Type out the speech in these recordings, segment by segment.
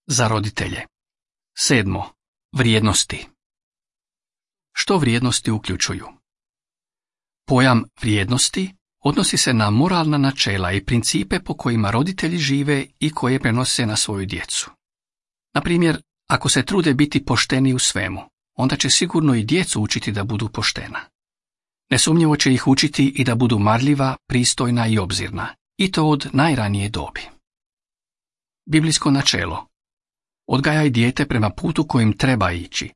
Za roditelje. 7. Vrijednosti. Što vrijednosti uključuju? Pojam vrijednosti odnosi se na moralna načela i principe po kojima roditelji žive i koje prenose na svoju djecu. Na primjer, ako se trude biti pošteni u svemu, onda će sigurno i djecu učiti da budu poštena. Nesumnjivo će ih učiti i da budu marljiva, pristojna i obzirna, i to od najranije dobi. Biblijsko načelo. Odgajaj dijete prema putu kojim treba ići,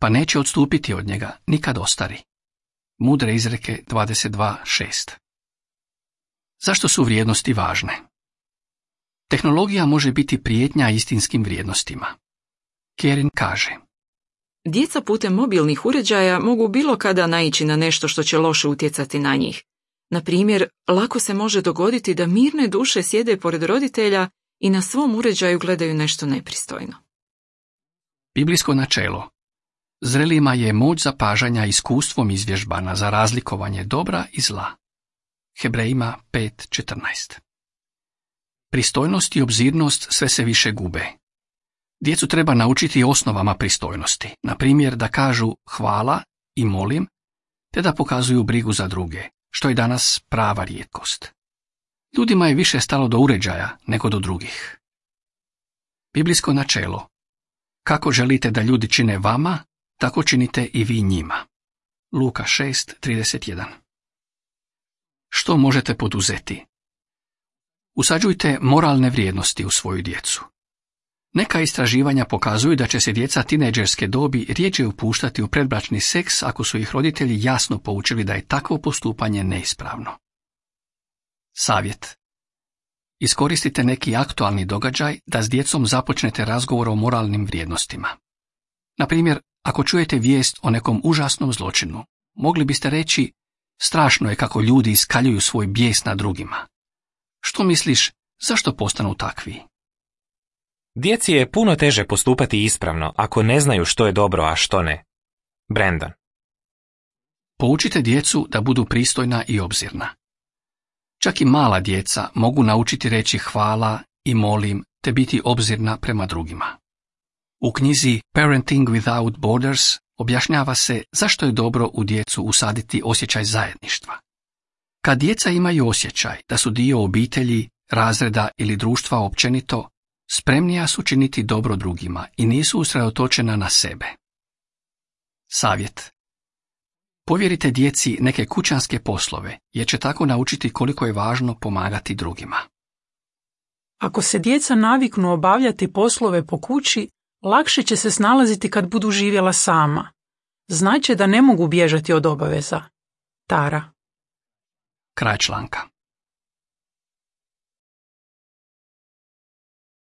pa neće odstupiti od njega nikad ostari. Mudre izreke 22.6. Zašto su vrijednosti važne? Tehnologija može biti prijetnja istinskim vrijednostima. Kerin kaže: Djeca putem mobilnih uređaja mogu bilo kada naići na nešto što će loše utjecati na njih. Na primjer, lako se može dogoditi da mirne duše sjede pored roditelja i na svom uređaju gledaju nešto nepristojno. Biblijsko načelo. Zrelima je moć zapažanja iskustvom izvježbana za razlikovanje dobra i zla. Hebrejima 5.14. Pristojnost i obzirnost sve se više gube. Djecu treba naučiti osnovama pristojnosti, na primjer da kažu hvala i molim, te da pokazuju brigu za druge, što je danas prava rijetkost. Ljudima je više stalo do uređaja nego do drugih. Biblijsko načelo. Kako želite da ljudi čine vama, tako činite i vi njima. Luka 6.31. Što možete poduzeti? Usađujte moralne vrijednosti u svoju djecu. Neka istraživanja pokazuju da će se djeca tinejdžerske dobi rjeđe upuštati u predbračni seks ako su ih roditelji jasno poučili da je takvo postupanje neispravno. Savjet. Iskoristite neki aktualni događaj da s djecom započnete razgovor o moralnim vrijednostima. Na primjer, ako čujete vijest o nekom užasnom zločinu, mogli biste reći: strašno je kako ljudi iskaljuju svoj bijes na drugima. Što misliš, zašto postanu takvi? Djeci je puno teže postupati ispravno ako ne znaju što je dobro, a što ne. Brandon. Poučite djecu da budu pristojna i obzirna. Čak i mala djeca mogu naučiti reći hvala i molim te biti obzirna prema drugima. U knjizi Parenting Without Borders objašnjava se zašto je dobro u djecu usaditi osjećaj zajedništva. Kad djeca imaju osjećaj da su dio obitelji, razreda ili društva općenito, spremnija su činiti dobro drugima i nisu usredotočena na sebe. Savjet. Povjerite djeci neke kućanske poslove, jer će tako naučiti koliko je važno pomagati drugima. Ako se djeca naviknu obavljati poslove po kući, lakše će se snalaziti kad budu živjela sama. Znaće da ne mogu bježati od obaveza. Tara. Kraj članka.